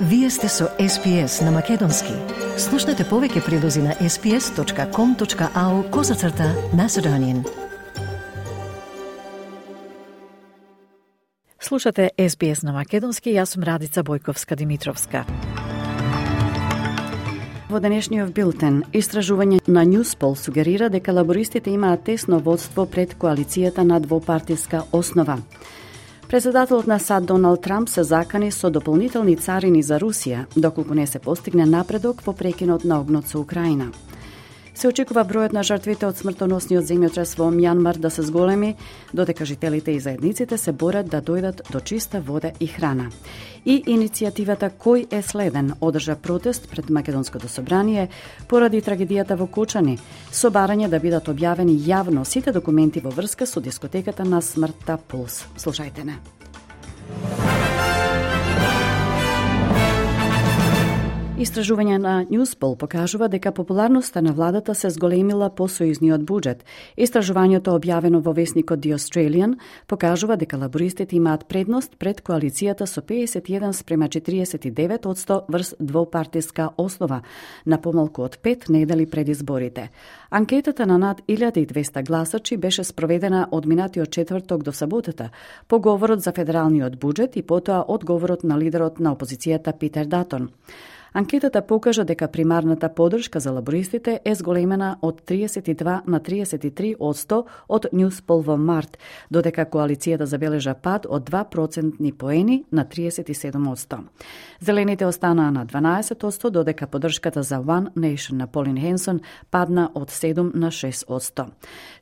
Вие сте со SPS на Македонски. Слушнете повеќе прилози на sps.com.au/Macedonian. Слушате SBS на Македонски, јас сум Радица Бојковска-Димитровска. Во денешниот билтен, истражување на Newspol сугерира дека лабористите имаат тесно водство пред коалицијата на двопартиска основа. Председателот на САД Доналд Трамп се закани со дополнителни царини за Русија, доколку не се постигне напредок во прекинот на огнот со Украина. Се очекува бројот на жртвите од смртоносниот земјотрес во Мјанмар да се зголеми, додека жителите и заедниците се борат да дојдат до чиста вода и храна. И иницијативата Кој е следен одржа протест пред Македонското собрание поради трагедијата во Кочани, со барање да бидат објавени јавно сите документи во врска со дискотеката на смртта Пулс. Слушајте не. Истражување на Newspol покажува дека популарноста на владата се зголемила по сојузниот буџет. Истражувањето објавено во весникот The Australian покажува дека лабористите имаат предност пред коалицијата со 51:49% врз двопартиска основа, на помалку од 5 недели пред изборите. Анкетата на над 1200 гласачи беше спроведена од минатиот четврток до саботата, по говорот за федералниот буџет и потоа од говорот на лидерот на опозицијата Питер Датон. Анкетата покажа дека примарната поддршка за лабористите е зголемена од 32 на 33% од Newspol во март, додека коалицијата забележа пад од 2% поени на 37%. Зелените останаа на 12%, додека поддршката за One Nation на Полин Хенсон падна од 7 на 6%.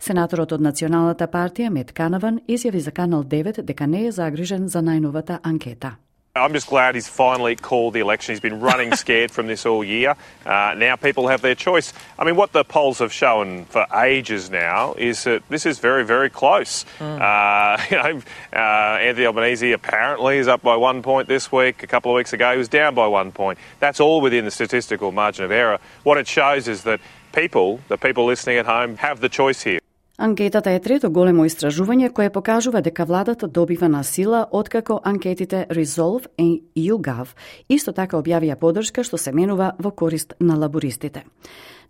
Сенаторот од Националната партија Мет Канаван изјави за Канал 9 дека не е загрижен за најновата анкета. I'm just glad he's finally called the election. He's been running scared from this all year. Now people have their choice. I mean, what the polls have shown for ages now is that this is very, very close. Anthony Albanese apparently is up by 1 point this week. A couple of weeks ago, he was down by 1 point. That's all within the statistical margin of error. What it shows is that the people listening at home, have the choice here. Анкетата е трето големо истражување кое покажува дека владата добива на сила откако анкетите Resolve и YouGov исто така објавија поддршка што се менува во корист на лабористите.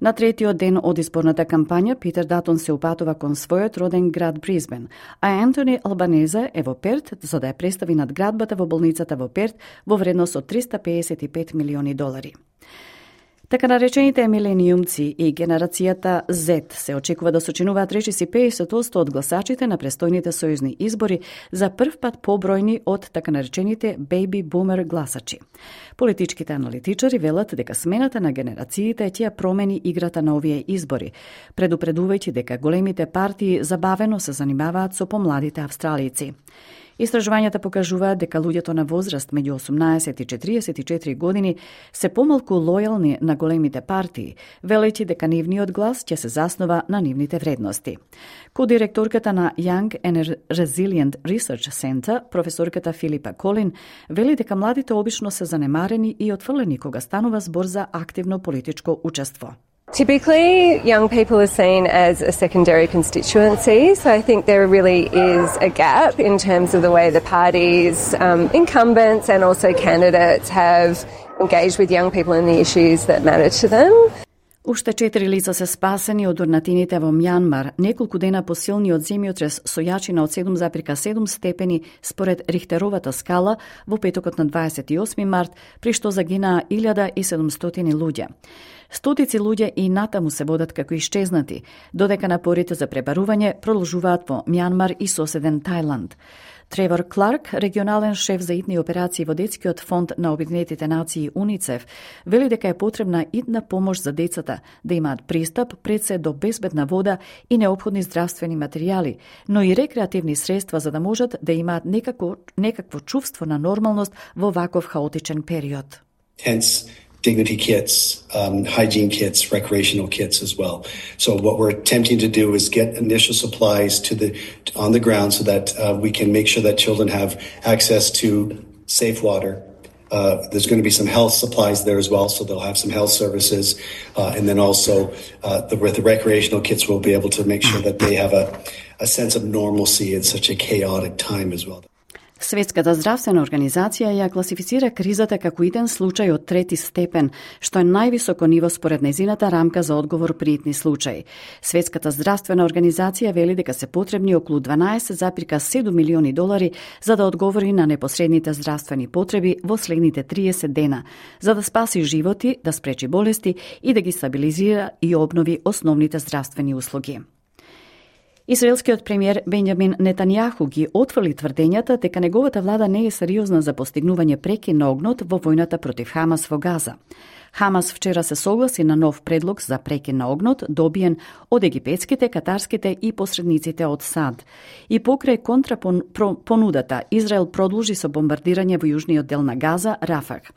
На третиот ден од изборната кампања Питер Датон се упатува кон својот роден град Брисбен, а Антони Албанезе е во Перт за да ја представи надградбата во болницата во Перт во вредност од $355 милиони. Така наречените милениумци и генерацијата Z се очекува да сочинуваат речиси 50% од гласачите на престојните сојузни избори, за прв пат побројни од така наречените baby boomer гласачи. Политичките аналитичари велат дека смената на генерациите ќе промени играта на овие избори, предупредувајќи дека големите партии забавено се занимаваат со помладите австралијци. Истражувањата покажуваат дека луѓето на возраст меѓу 18 и 44 години се помалку лојални на големите партии, велејќи дека нивниот глас ќе се заснова на нивните вредности. Ко-директорката на Young and Resilient Research Center, професорката Филипа Колин, вели дека младите обично се занемарени и отфрлени кога станува збор за активно политичко учество. Typically, young people are seen as a secondary constituency, so I think there really is a gap in terms of the way the parties, incumbents and also candidates have engaged with young people in the issues that matter to them. Уште 4 лица се спасени од урнатините во Мјанмар, неколку дена по силниот земјотрес со јачина од 7,7 степени според Рихтеровата скала во петокот на 28 март, при што загинаа 1700 луѓе. Стотици луѓе и натаму се водат како исчезнати, додека напорите за пребарување продолжуваат во Мјанмар и соседен Тајланд. Тревор Кларк, регионален шеф за итни операции во детскиот фонд на Обединетите нации УНИЦЕФ, вели дека е потребна итна помош за децата да имаат пристап пред се до безбедна вода и неопходни здравствени материјали, но и рекреативни средства за да можат да имаат некакво чувство на нормалност во ваков хаотичен период. Hence, dignity kits, hygiene kits, recreational kits as well. So what we're attempting to do is get initial supplies on the ground so that we can make sure that children have access to safe water. There's going to be some health supplies there as well, so they'll have some health services. And then also with the recreational kits, we'll be able to make sure that they have a sense of normalcy in such a chaotic time as well. Светската здравствена организација ја класифицира кризата како иден случај од трети степен, што е највисоко ниво според нејзината рамка за одговор при итни случаи. Светската здравствена организација вели дека се потребни околу 12,7 милиони долари за да одговори на непосредните здравствени потреби во следните 30 дена, за да спаси животи, да спречи болести и да ги стабилизира и обнови основните здравствени услуги. Израелскиот премиер Бенјамин Нетањаху ги отфрли тврдењата дека неговата влада не е сериозна за постигнување прекин на огнот во војната против Хамас во Газа. Хамас вчера се согласи на нов предлог за прекин на огнот, добиен од египетските, катарските и посредниците од САД. И покрај контрапонудата, Израел продолжи со бомбардирање во јужниот дел на Газа, Рафах.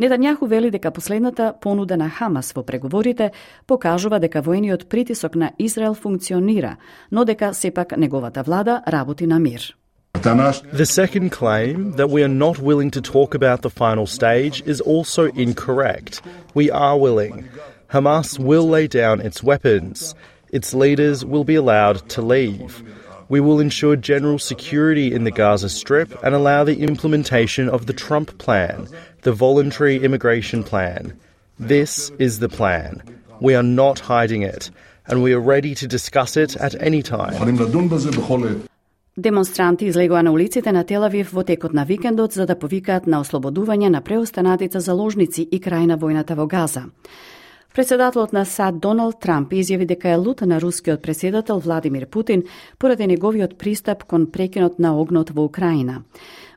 Нетањаху вели дека последната понуда на Хамас во преговорите покажува дека војниот притисок на Израел функционира, но дека сепак неговата влада работи на мир. The second claim, that we are not willing to talk about the final stage, is also incorrect. We are willing. Hamas will lay down its weapons. Its leaders will be allowed to leave. We will ensure general security in the Gaza Strip and allow the implementation of the Trump plan, the voluntary immigration plan. This is the plan. We are not hiding it, and we are ready to discuss it at any time. Демонстранти излегоа на улиците на Тел-Авив во текот на викендот за да повикаат на ослободување на преостанатите заложници и крај на војната во Газа. Председателот на САД Доналд Трамп изјави дека е лут на рускиот председател Владимир Путин поради неговиот пристап кон прекинот на огнот во Украина.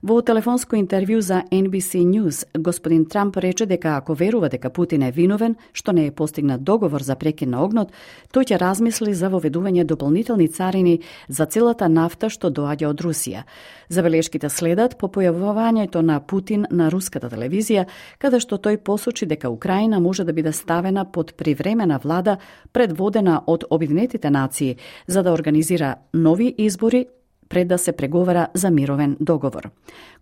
Во телефонско интервју за NBC News, господин Трамп рече дека ако верува дека Путин е виновен, што не е постигнат договор за прекин на огнот, тој ќе размисли за воведување дополнителни царини за целата нафта што доаѓа од Русија. Забелешките следат по појавувањето на Путин на руската телевизија, каде што тој посочи дека Украина може да биде ставена под привремена влада предводена од Обединетите нации за да организира нови избори пред да се преговара за мировен договор.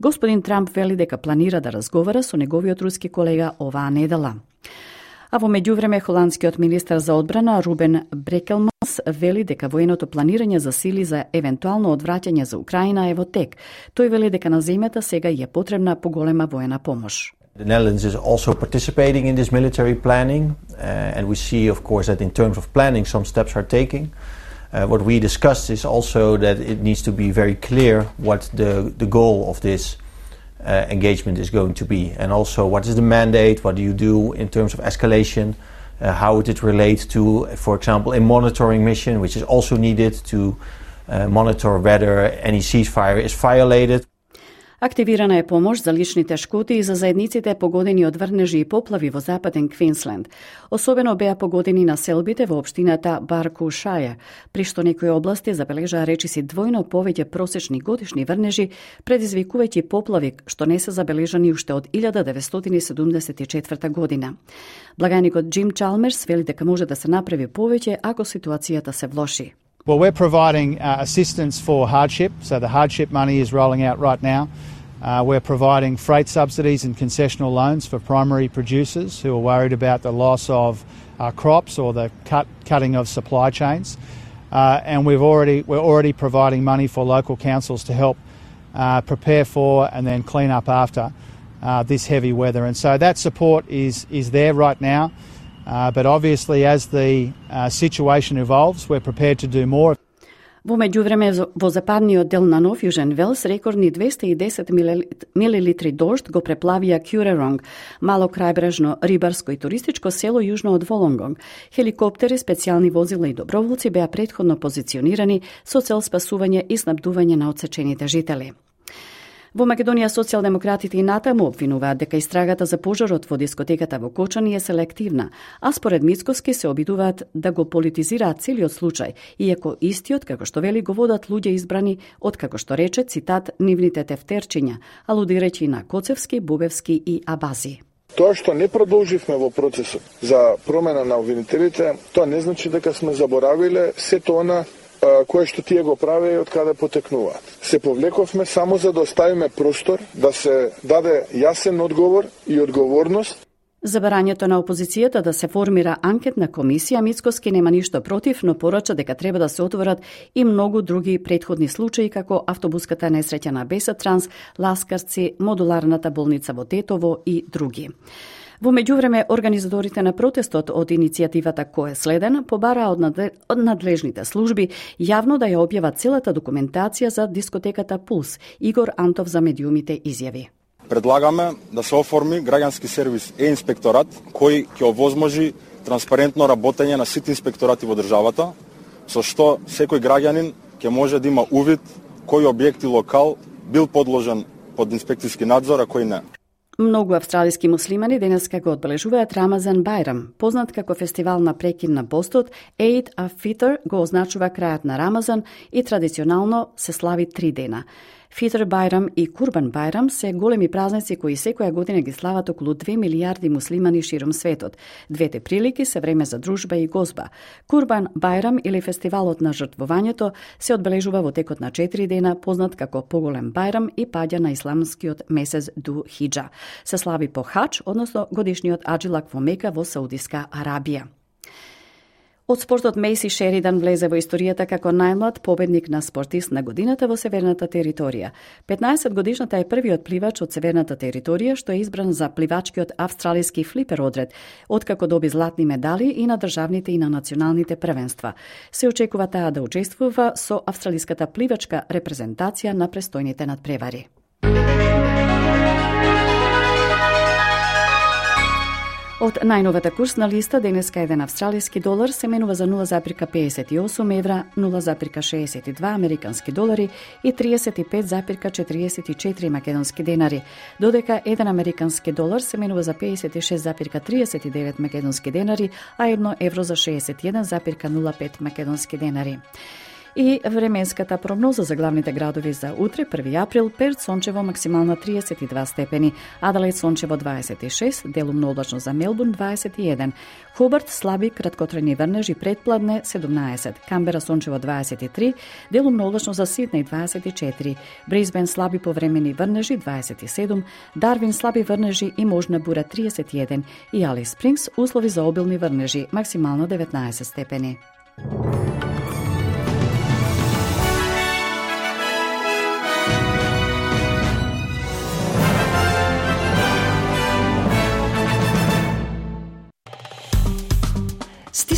Господин Трамп вели дека планира да разговара со неговиот руски колега оваа недела. А во меѓувреме холандскиот министар за одбрана Рубен Брекелманс вели дека военото планирање за сили за евентуално одвраќање за Украина е во тек. Тој вели дека на земјата сега е потребна поголема воена помош. The Netherlands is also participating in this military planning, and we see, of course, that in terms of planning, some steps are taking. What we discussed is also that it needs to be very clear what the goal of this engagement is going to be, and also what is the mandate, what do you do in terms of escalation, how would it relate to, for example, a monitoring mission, which is also needed to monitor whether any ceasefire is violated. Активирана е помош за личните шкоди и за заедниците погодени од врнежи и поплави во западен Квинсленд. Особено беа погодени населбите во општината Баркушаја, при што некои области забележаа речиси двојно повеќе просечни годишни врнежи, предизвикувајќи поплави што не се забележани уште од 1974 година. Благајникот Джим Чалмерс вели дека може да се направи повеќе ако ситуацијата се влоши. Well, we're providing assistance for hardship, so the hardship money is rolling out right now. We're providing freight subsidies and concessional loans for primary producers who are worried about the loss of crops or the cutting of supply chains. And we're already providing money for local councils to help prepare for and then clean up after this heavy weather. And so that support is there right now. But obviously, as the situation evolves, we're prepared to do more. Во меѓувреме, во западниот дел на Нов Јужен Велс, рекордни 210 милилитри дожд го преплавија Кюреронг, мало крајбрежно рибарско и туристичко село јужно од Волонгонг. Хеликоптери, специјални возила и доброволци беа претходно позиционирани со цел спасување и снабдување на отсечените жители. Во Македонија социјалдемократите и натаму обвинуваат дека истрагата за пожарот во дискотеката во Кочани е селективна, а според Мицкоски се обидуваат да го политизираат целиот случај, иако истиот, како што вели, го водат луѓе избрани од, како што рече, цитат, нивните тефтерчиња, алудирајќи на Коцевски, Бубевски и Абази. Тоа што не продолживме во процесот за промена на обвинителите, тоа не значи дека сме заборавиле сето она кое што тие го праве и од каде потекнуваат. Се повлековме само за да оставиме простор да се даде јасен одговор и одговорност. За барањето на опозицијата да се формира анкетна комисија, Мицкоски нема ништо против, но порача дека треба да се отворат и многу други претходни случаи, како автобуската несреќа на Бесатранс, Ласкарци, модуларната болница во Тетово и други. Во меѓувреме, организаторите на протестот од иницијативата Кој е следен побараа од надлежните служби јавно да ја објават целата документација за дискотеката Пулс. Игор Антов за медиумите изјави. Предлагаме да се оформи граѓански сервис е-инспекторат кој ќе овозможи транспарентно работење на сите инспекторати во државата, со што секој граѓанин ќе може да има увид кој објект и локал бил подложен под инспекцијски надзор, а кој не. Многу австралиски муслимани денеска го одбележуваат Рамазан Байрам, познат како фестивал на прекин на постот. Eid al-Fitr го означува крајот на Рамазан и традиционално се слави 3 дена. Фитр Байрам и Курбан Байрам се големи празници кои секоја година ги слават околу 2 милијарди муслимани широм светот. Двете прилики се време за дружба и гозба. Курбан Байрам или фестивалот на жртвувањето се одбележува во текот на 4 дена, познат како поголем Байрам и паѓа на исламскиот месец Ду Хиджа. Се слави по Хадж, односно годишниот аджилак во Мека во Саудиска Арабија. Од спортот Мейси Шеридан влезе во историјата како најмлад победник на спортист на годината во Северната територија. 15-годишната е првиот пливач од Северната територија што е избран за пливачкиот австралиски флипер одред, откако доби златни медали и на државните и на националните првенства. Се очекува таа да учествува со австралиската пливачка репрезентација на престојните надпревари. Од најновата курсна листа денеска еден австралиски долар се менува за 0,58 евра, 0,62 американски долари и 35,44 македонски денари, додека еден американски долар се менува за 56,39 македонски денари, а 1 евро за 61,05 македонски денари. И временската прогноза за главните градови за утре, 1 април, Перт сончево максимална 32 степени, Аделаид сончево 26, делумно облачно за Мелбурн 21, Хобарт слаби краткотрајни врнежи предпладне 17, Камбера сончево 23, делумно облачно за Сиднеј 24, Брисбен слаби повремени врнежи 27, Дарвин слаби врнежи и можна бура 31 и Алис Спрингс услови за обилни врнежи максимално 19 степени.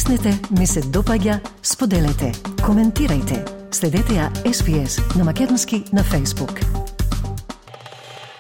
Стиснете, ми се допаѓа, споделете, коментирајте. Следете ја SPS на Македонски на Facebook.